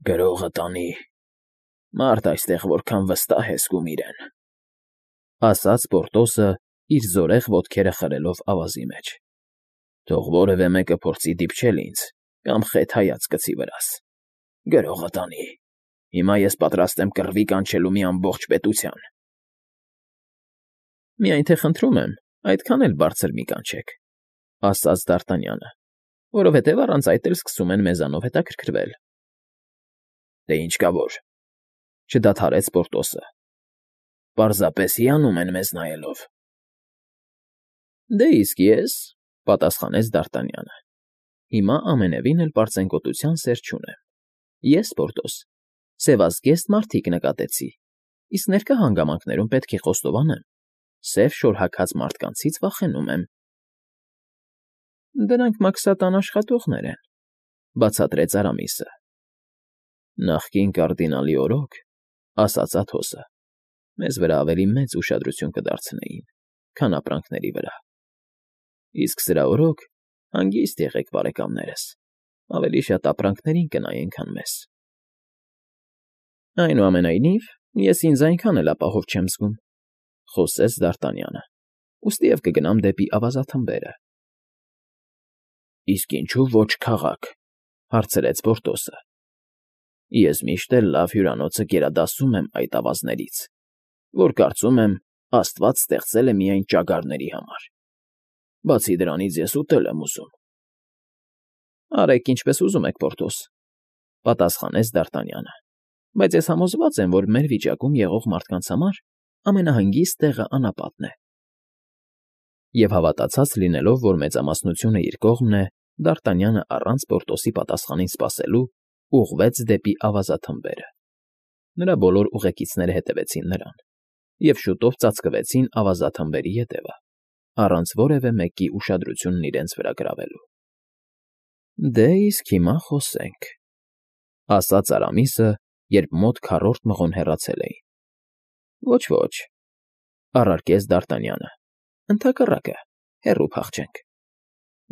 Գրողը տանի։ Մարդ այստեղ որքան վստահ է զգում իրեն, ասաց Պորտոսը, իր զորեղ ոտքերը խրելով ավազի մեջ։ Թող որևէ մեկը փորձի դիպչել ինձ կամ խեթ հայացք գցի վրաս։ Գրողը տանի։ Հիմա ես պատրաստ եմ կռվի կանչելու մի ամբողջ պետության։ Միայն թե խնդրում եմ, այդքան էլ բարձր մի կանչեք, ասաց Դ'Արտանյանը, որովհետև առանց այդ էլ սկսում են մեզանով հետաքրքրվել։ Դե ինչ կա որ, չդադարեց Պորտոսը։ Պարզապես հիանում են մեզ նայելով։ Դե իսկ ես, պատասխանեց Դ'Արտանյանը, հիմա ամենևին էլ պարծենկոտության սեր չունեմ։ Ես, Պորտոս, սևազգեստ մարդիկ նկատեցի, իսկ ներկա հանգամանքներում պետք է խոստովանեմ, սև շորհաքած մարդկանցից վախենում եմ։ Դրանք մաքսատան աշխատողներ են, բացատրեց Արամիսը։ Նախկին կարդինալի օրոք, ասաց Աթոսը, մեզ վրա ավելի մեծ ուշադրություն կդարձնեին, քան ապրանքների վրա։ Իսկ սրա օրոք հանգիստ եղեք, բարեկամներս, ավելի շատ ապրանքներին կնայեն, քան մեզ։ Այնուամենայնիվ, ես ինձ այնքան էլ ապահով չեմ զգում, խոսեց Դ'Արտանյանը, ուստիև կգնամ դեպի ավազաթմբերը։ Իսկ ինչու ոչ քաղաք, հարցրեց Պորտոսը։ Ես միշտ էլ լավ հյուրանոցը գերադասում եմ այդ ավազներից, որ կարծում եմ Աստված ստեղծել է միայն ճագարների համար։ Բացի դրանից ես ուտել եմ ուզում։ Արեք ինչպես ուզում եք, Պորտոս, պատասխանեց Դ'Արտանյանը, բայց ես համոզված եմ, որ մեր վիճակում եղող մարդկանց համար ամենահանգիստ տեղը անապատն է։ Եվ հավատացած լինելով, որ մեծամասնությունը իր կողմն է, Դ'Արտանյանը առանց Պորտոսի պատասխանին սպասելու ուղղվեց դեպի ավազաթմբերը։ Նրա բոլոր ուղեկիցները հետևեցին նրան և շուտով ծածկվեցին ավազաթմբերի ետևը, առանց որևէ մեկի ուշադրությունն իրենց վրա գրավելու։ Դե իսկ հիմա խոսենք, ասաց Արամիսը, երբ մոտ քառորդ մղոն հեռացել էին։ Ոչ, առարկեց Դ'Արտանյանը, ընդհակառակը, հեռու փախչենք։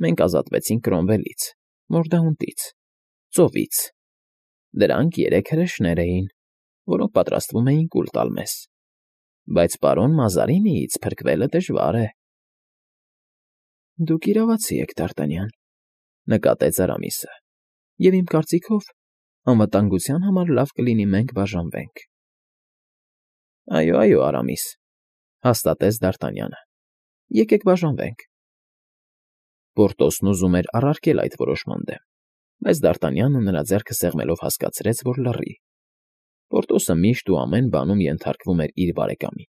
Մենք ազատվեցինք Կրոմվելից, Մորդաունտից, ծովից։ Դրանք 3 հրեշներ էին, որոնք պատրաստվում էին կուլ տալ մեզ։ Բայց պարոն Մազարինիից փրկվելը դժվար է։ Դուք իրավացի եք, Դ'Արտանյան, նկատեց Արամիսը, և իմ կարծիքով անվտանգության համար լավ կլինի մենք բաժանվենք։ Այո, Արամիս, հաստատեց Դ'Արտանյանը, եկեք բաժանվենք։ Պորտոսն ուզում էր առարկել այդ որոշման դեմ, բայց Դ'Արտանյանը նրա ձեռքը սեղմելով հասկացրեց, որ լռի։ Պորտոսը միշտ ու ամեն բանում ենթարկվում էր իր բարեկամին,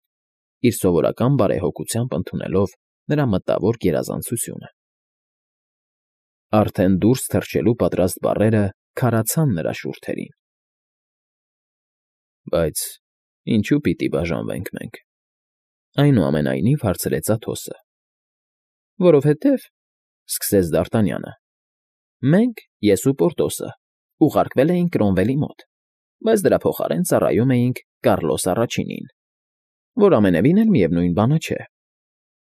իր սովորական բարեհոգությամբ ընդունելով նրա մտավոր գերազանցությունը։ Արդեն դուրս թռչելու պատրաստ բառերը քարացան նրա շուրթերին։ Բայց ինչու պիտի բաժանվենք մենք, այնուամենայնիվ հարցրեց Աթոսը։ Որովհետև, սկսեց Դ'Արտանյանը, մենք, ես ու Պորտոսը, ուղարկվել էինք Կրոմվելի մոտ, բայց դրա փոխարեն ծառայում էինք Կառլոս առաջինին, որ ամենևին էլ միևնույն բանը չէ։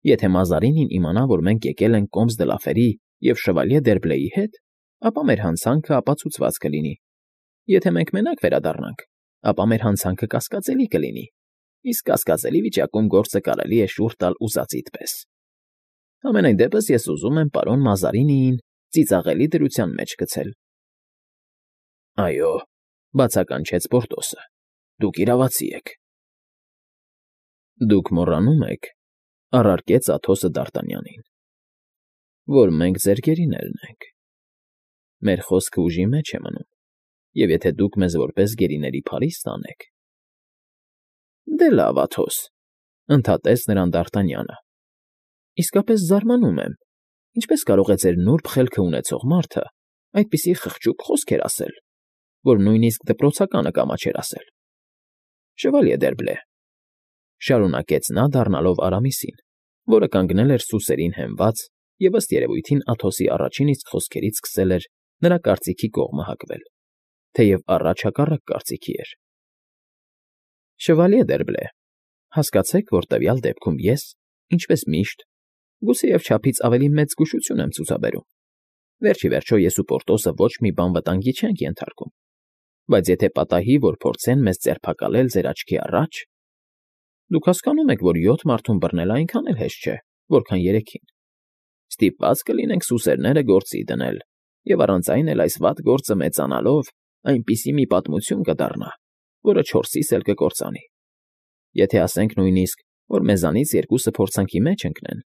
Եթե Մազարինին իմանա, որ մենք եկել ենք Կոմս դը Լաֆերի և Շվալյե Դերբլեի հետ, ապա մեր հանցանքը ապացուցված կլինի։ Եթե մենք մենակ վերադառնանք, ապա մեր հանցանքը կասկածելի կլինի, իսկ կասկածելի վիճակում գործը կարելի է շուռ տալ ուզածիդ պես։ Համենայն դեպս ես ուզում եմ պարոն Մազարինիին ծիծաղելի դրության մեջ գցել։ Այո, բացականչեց Պորտոսը, դուք իրավացի եք։ Դուք մոռանում եք, առարկեց Աթոսը Դ'Արտանյանին, որ մենք ձեր գերիներն ենք։ Մեր խոսքը ուժի մեջ է մնում, և եթե դուք մեզ որպես գերիների փարիս տանեք… Դե լավ, Աթոս, ընդհատեց նրան Դ'Արտանյանը, իսկապես զարմանում եմ, ինչպես կարող է ձեր նուրբ խելքը ունեցող մարդը այդպիսի խղճուկ խոսքեր ասել, որ նույնիսկ դպրոցականը կամաչեր ասել։ Շվալյե Դերբլե, շարունակեց նա դառնալով Արամիսին, որը կանգնել էր սուսերին հենված և ըստ երևույթին Աթոսի առաջին իսկ խոսքերից սկսել էր նրա կարծիքի կողմը հակվել, թեև առաջ հակառակ կարծիքի էր։ Շվալյե Դերբլե, հասկացեք, որ տվյալ դեպքում ես, ինչպես միշտ, գուցեև չափից ավելի մեծ զգուշություն եմ ցուցաբերում։ Վերջ ի վերջո ես ու Պորտոսը ոչ մի բան վտանգի չենք ենթարկում։ Բայց եթե պատահի, որ փորձեն մեզ ձերբակալել ձեր աչքի առաջ… Դուք հասկանում եք, որ 7 մարդուն բռնելը այնքան էլ հեշտ չէ, որքան 3-ին. Ստիպված կլինենք սուսերները գործի դնել, և առանց այն էլ այս վատ գործը մեծանալով այնպիսի մի պատմություն կդառնա, որը 4-իս էլ կկործանի։ Եթե ասենք նույնիսկ, որ մեզանից 2-ը փորձանքի մեջ ընկնեն,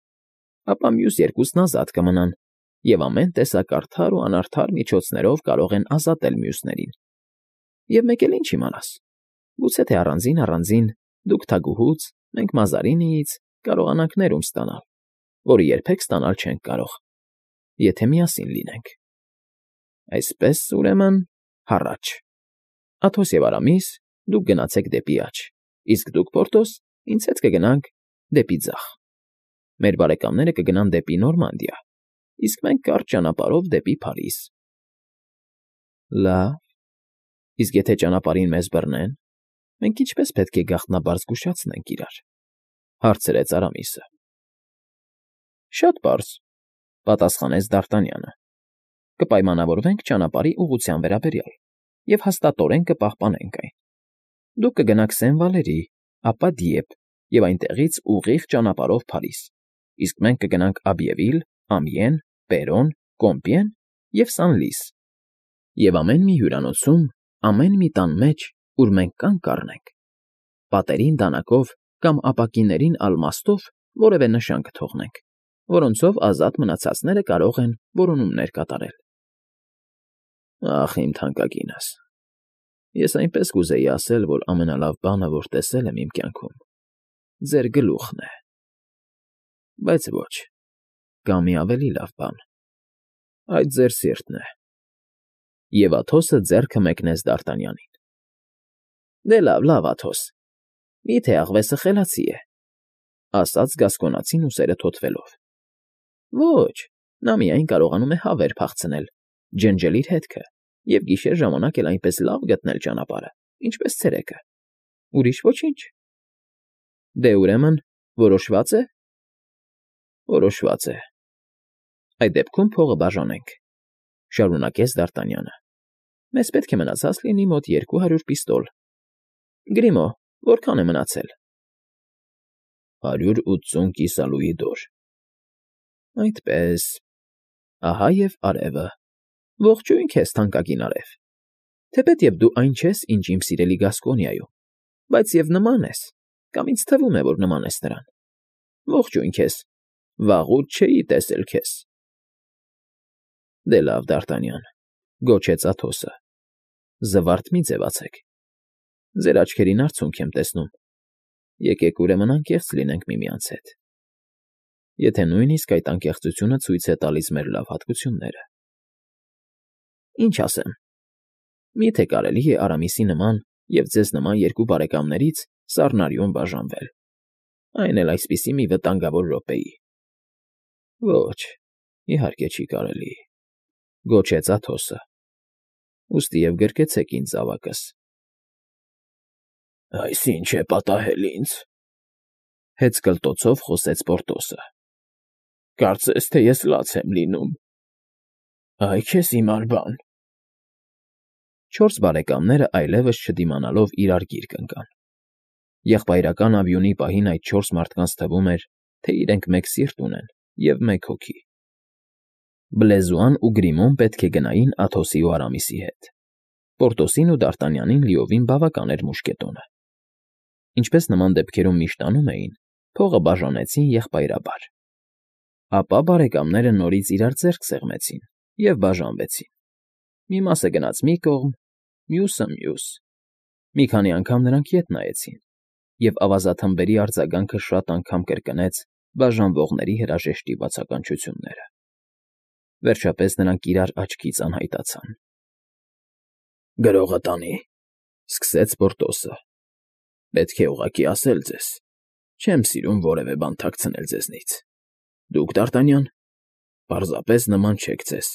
ապա մյուս 2-ն ազատ կմնան, և ամեն տեսակ արդար ու անարդար միջոցներով կարող են ազատել մյուսներին։ Եվ մեկ էլ ինչ իմանաս, գուցե թե առանձին դուք թագուհուց, մենք Մազարինիից կարողանանք ներում ստանալ, որը երբեք ստանալ չենք կարող, եթե միասին լինենք։ Այսպես, ուրեմն, հառաչ… Աթոս և Արամիս, դուք գնացեք դեպի աջ, իսկ դուք, Պորտոս, ինձ հետ կգնաք դեպի ձախ։ Մեր բարեկամները կգնան դեպի Նորմանդիա, իսկ մենք կարճ ճանապարհով դեպի Փարիզ։ Լավ, իսկ եթե ճանապարհին մեզ բռնեն, մենք ինչպե՞ս պետք է գաղտնաբար զգուշացնենք իրար,֊ հարցրեց Արամիսը։ Շատ պարզ,֊ պատասխանեց Դ'Արտանյանը։ Կպայմանավորվենք ճանապարհի ուղղության վերաբերյալ և հաստատորեն կպահպանենք այն։ Դուք կգնաք Սեն֊Վալերի, ապա Դիեպ և այնտեղից ուղիղ ճանապարհով Փարիզ, իսկ մենք կգնանք Աբիևիլ, Ամիեն, Պերոն, Կոմպիեն և Սանլիս, և ամեն մի հյուրանոցում, ամեն մի տան մեջ, ուր մենք կանգ կառնենք, պատերին դանակով կամ ապակիներին ալմաստով որևէ նշան կթողնենք, որոնցով ազատ մնացածները կարող են որոնումներ կատարել։ Ախ, իմ թանկագինս, ես այնպես կուզեի ասել, որ ամենալավ բանը, որ տեսել եմ իմ կյանքում, ձեր գլուխն է, բայց ոչ, կա մի ավելի լավ բան, այդ ձեր սիրտն է։ Եվ Աթոսը ձեռքը մեկնեց Դ'Արտանյանին։ Դե լավ, Աթոս, միթե աղվեսը խելացի է,֊ ասաց գասկոնացին ուսերը թոթվելով։ Ոչ, նա միայն կարողանում է հավեր փախցնել, ջնջել իր հետքը և գիշեր ժամանակ էլ այնպես լավ գտնել ճանապարհը, ինչպես ցերեկը, ուրիշ ոչինչ։ Դե, ուրեմն, որոշվա՞ծ է։ Որոշված է։ Այդ դեպքում փողը բաժանենք,֊ շարունակեց Դ'Արտանյանը։ Մեզ պետք է մնացած լինի մոտ 200 պիստոլ։ Գրիմո, որքան է մնացել։ 180 կիսալուի դոր։ Այդպես… Ահա և արևը։ Ողջույն քեզ, թանկագին արև։ Թեպետև դու այն չես, ինչ իմ սիրելի Գասկոնիայում, բայց և նման ես, կամ ինձ թվում է, որ նման ես նրան։ Ողջույն քեզ, վաղուց չէի տեսել քեզ։ Դե լավ, Դ'Արտանյան,֊ գոչեց Աթոսը,֊ զվարթ մի ձևացեք։ Ձեր աչքերին արցունք եմ տեսնում։ Եկեք, ուրեմն, անկեղծ լինենք միմյանց հետ, եթե նույնիսկ այդ անկեղծությունը ցույց է տալիս մեր լավ հատկությունները։ Ինչ ասեմ, մի՞թե կարելի է Արամիսի նման և ձեզ նման երկու բարեկամներից սառնարյուն բաժանվել, այն էլ այսպիսի մի վտանգավոր րոպեի։ Ոչ, իհարկե չի կարելի,֊ գոչեց Աթոսը։ Ուստի և գրկեցեք ինձ զավակս։ Այս ի՞նչ է պատահել ինձ,֊ հեծկլտոցով խոսեց Պորտոսը։ Կարծես թե ես լաց եմ լինում։ Այ քեզ հիմար բան։ 4 բարեկամները այլևս չդիմանալով իրար գիրկ ընկան։ Եղբայրական աբյունի պահին այդ 4 մարդկանց թվում էր, թե իրենք մեկ սիրտ ունեն և մեկ հոգի։ Բլեզուան ու Գրիմոն պետք է գնային Աթոսի ու Արամիսի հետ։ Պորտոսին ու Դ'Արտանյանին լիովին բավական էր մուշկետոնը։ Ինչպես նման դեպքերում միշտ անում էին, փողը բաժանեցին եղբայրաբար։ Ապա բարեկամները նորից իրար ձեռք սեղմեցին և բաժանվեցին։ Մի մասը գնաց մի կողմ, մյուսը՝ մյուս։ Մի քանի անգամ նրանք ետ նայեցին, և ավազաթմբերի արձագանքը շատ անգամ կրկնեց բաժանվողների հրաժեշտի բացականչությունները։ Վերջապես նրանք իրար աչքից անհայտացան։ Գրողը տանի,֊ սկսեց Պորտոսը։ Պետք է ուղղակի ասել ձեզ, չեմ սիրում որևէ բան թաքցնել ձեզնից։ Դուք, Դ'Արտանյան, պարզապես նման չեք ձեզ։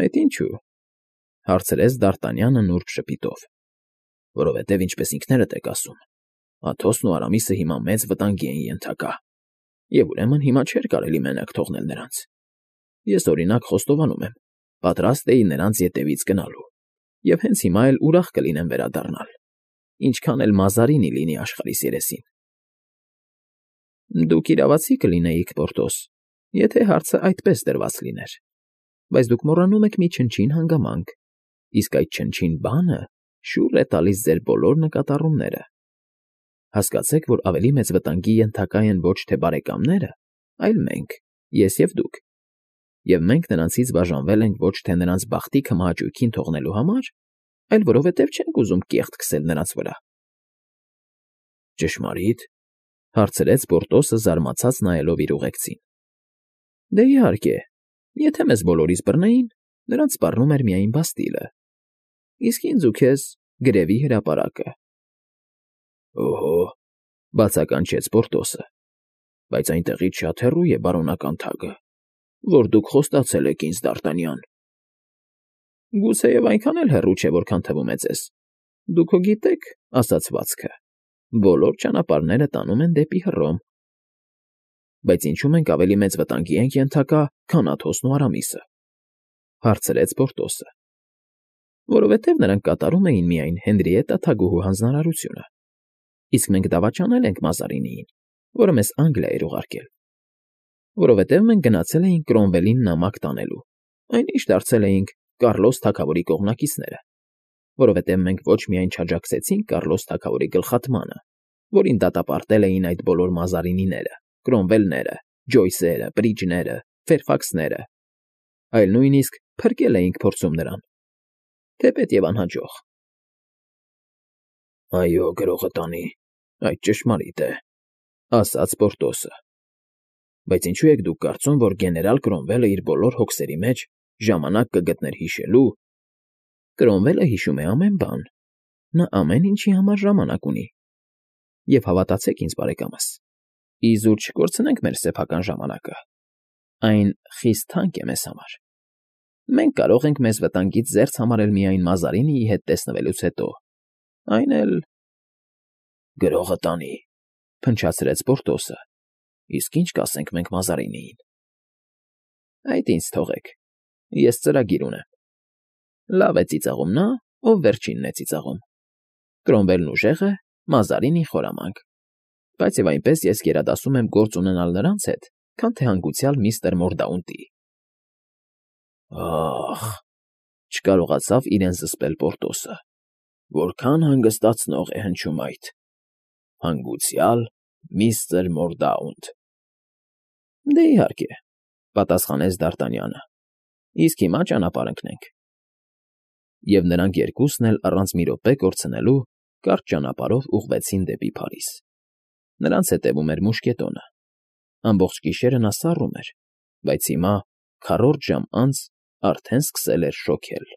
Այդ ինչո՞ւ,֊ հարցրեց Դ'Արտանյանը նուրբ ժպիտով։ Որովհետև, ինչպես ինքներդ եք ասում, Աթոսն ու Արամիսը հիմա մեծ վտանգի են ենթակա, և ուրեմն հիմա չէր կարելի մենակ թողնել նրանց։ Ես, օրինակ, խոստովանում եմ, պատրաստ էի նրանց ետևից գնալու։ և հենց հիմա էլ ուրախ կլինեմ վերադառնալ, ինչքան էլ Մազարինի լինի աշխարհիս երեսին։ Դուք իրավացի կլինեիք, Պորտոս, եթե հարցը այդպես դրված լիներ, բայց դուք մոռանում եք մի չնչին հանգամանք, իսկ այդ չնչին բանը շուռ է տալիս ձեր բոլոր նկատառումները։ Հասկացեք, որ ավելի մեծ վտանգի ենթակա են ոչ թե բարեկամները, այլ մենք, ես և դուք, և մենք նրանցից բաժանվել ենք ոչ թե նրանց բախտի քմահաճույքին թողնելու համար, այլ որովհետև չենք ուզում կեղտ քսել նրանց վրա։ Ճշմարի՞տ,֊ հարցրեց Պորտոսը, զարմացած նայելով իր ուղեկցին։ Դե իհարկե, եթե մեզ բոլորիս բռնեին, նրանց սպառնում էր միայն Բաստիլը, իսկ ինձ ու քեզ գրևի հրապարակը։ Օհո,֊ բացականչեց Պորտոսը,֊ բայց այնտեղից շատ հեռու է բարոնական թագը, որ դուք խոստացել եք ինձ, Դ'Արտանյան։ Գուցեև այնքան էլ հեռու չէ, որքան թվում է ձեզ։ Դուք հո գիտեք ասացվածքը. բոլոր ճանապարհները տանում են դեպի Հռոմ։ Բայց ինչու մենք ավելի մեծ վտանգի ենք ենթակա, քան Աթոսն ու Արամիսը,֊ հարցրեց Պորտոսը։ Որովհետև նրանք կատարում էին միայն Հենրիետտա թագուհու հանձնարարությունը, իսկ մենք դավաճանել ենք Մազարինիին, որը մեզ Անգլիա էր ուղարկել։ Որովհետև մենք գնացել էինք Կրոմվելին նամակ տանելու, այնինչ դարձել էինք Կառլոս թագավորի կողմնակիցները, որովհետև մենք ոչ միայն չաջակցեցինք Կառլոս թագավորի գլխատմանը, որին դատապարտել էին այդ բոլոր Մազարինիները, Կրոմվելները, Ջոյսերը, Բրիջները, Ֆերֆաքսները, այլ նույնիսկ փրկել էինք փորձում նրան, թեպետ և անհաջող։ Այո, գրողը տանի, այդ ճշմարիտ է,֊ ասաց Պորտոսը։ Բայց ինչու եք դուք կարծում, որ գեներալ Կրոմվելը իր բոլոր հոգսերի մեջ ժամանակ կգտներ հիշելու։ Կրոմվելը հիշում է ամեն բան, նա ամեն ինչի համար ժամանակ ունի։ Եվ հավատացեք ինձ, բարեկամս, իզուր չկորցնենք մեր սեփական ժամանակը, այն խիստ թանկ է մեզ համար։ Մենք կարող ենք մեզ վտանգից զերծ համարել միայն Մազարինիի հետ տեսնվելուց հետո, այն էլ… Գրողը տանի,֊ փնչացրեց Պորտոսը,֊ իսկ ինչ կասենք մենք Մազարինիին։ Այդ ինձ թողեք, ես ծրագիր ունեմ։ Լավ է ծիծաղում նա, ով վերջինն է ծիծաղում։ Կրոմվելն ուժեղ է, Մազարինին խորամանկ, բայց և այնպես ես գերադասում եմ գործ ունենալ նրանց հետ, քան թե հանգուցյալ միստր Մորդաունտի։ Ախ,֊ չկարողացավ իրեն զսպել Պորտոսը,֊ որքան հանգստացնող է հնչում այդ… Հանգուցյալ միստր Մորդաունտ… Դե իհարկե,֊ պատասխանեց Դ'Արտանյանը,֊ իսկ հիմա ճանապարհ ընկնենք։ Եվ նրանք երկուսն էլ առանց մի րոպե կորցնելու կարճ ճանապարհով ուղղվեցին դեպի Փարիզ։ Նրանց հետևում էր մուշկետոնը։ Ամբողջ գիշերը նա սառում էր, բայց հիմա, քառորդ ժամ անց, արդեն սկսել էր շոգել։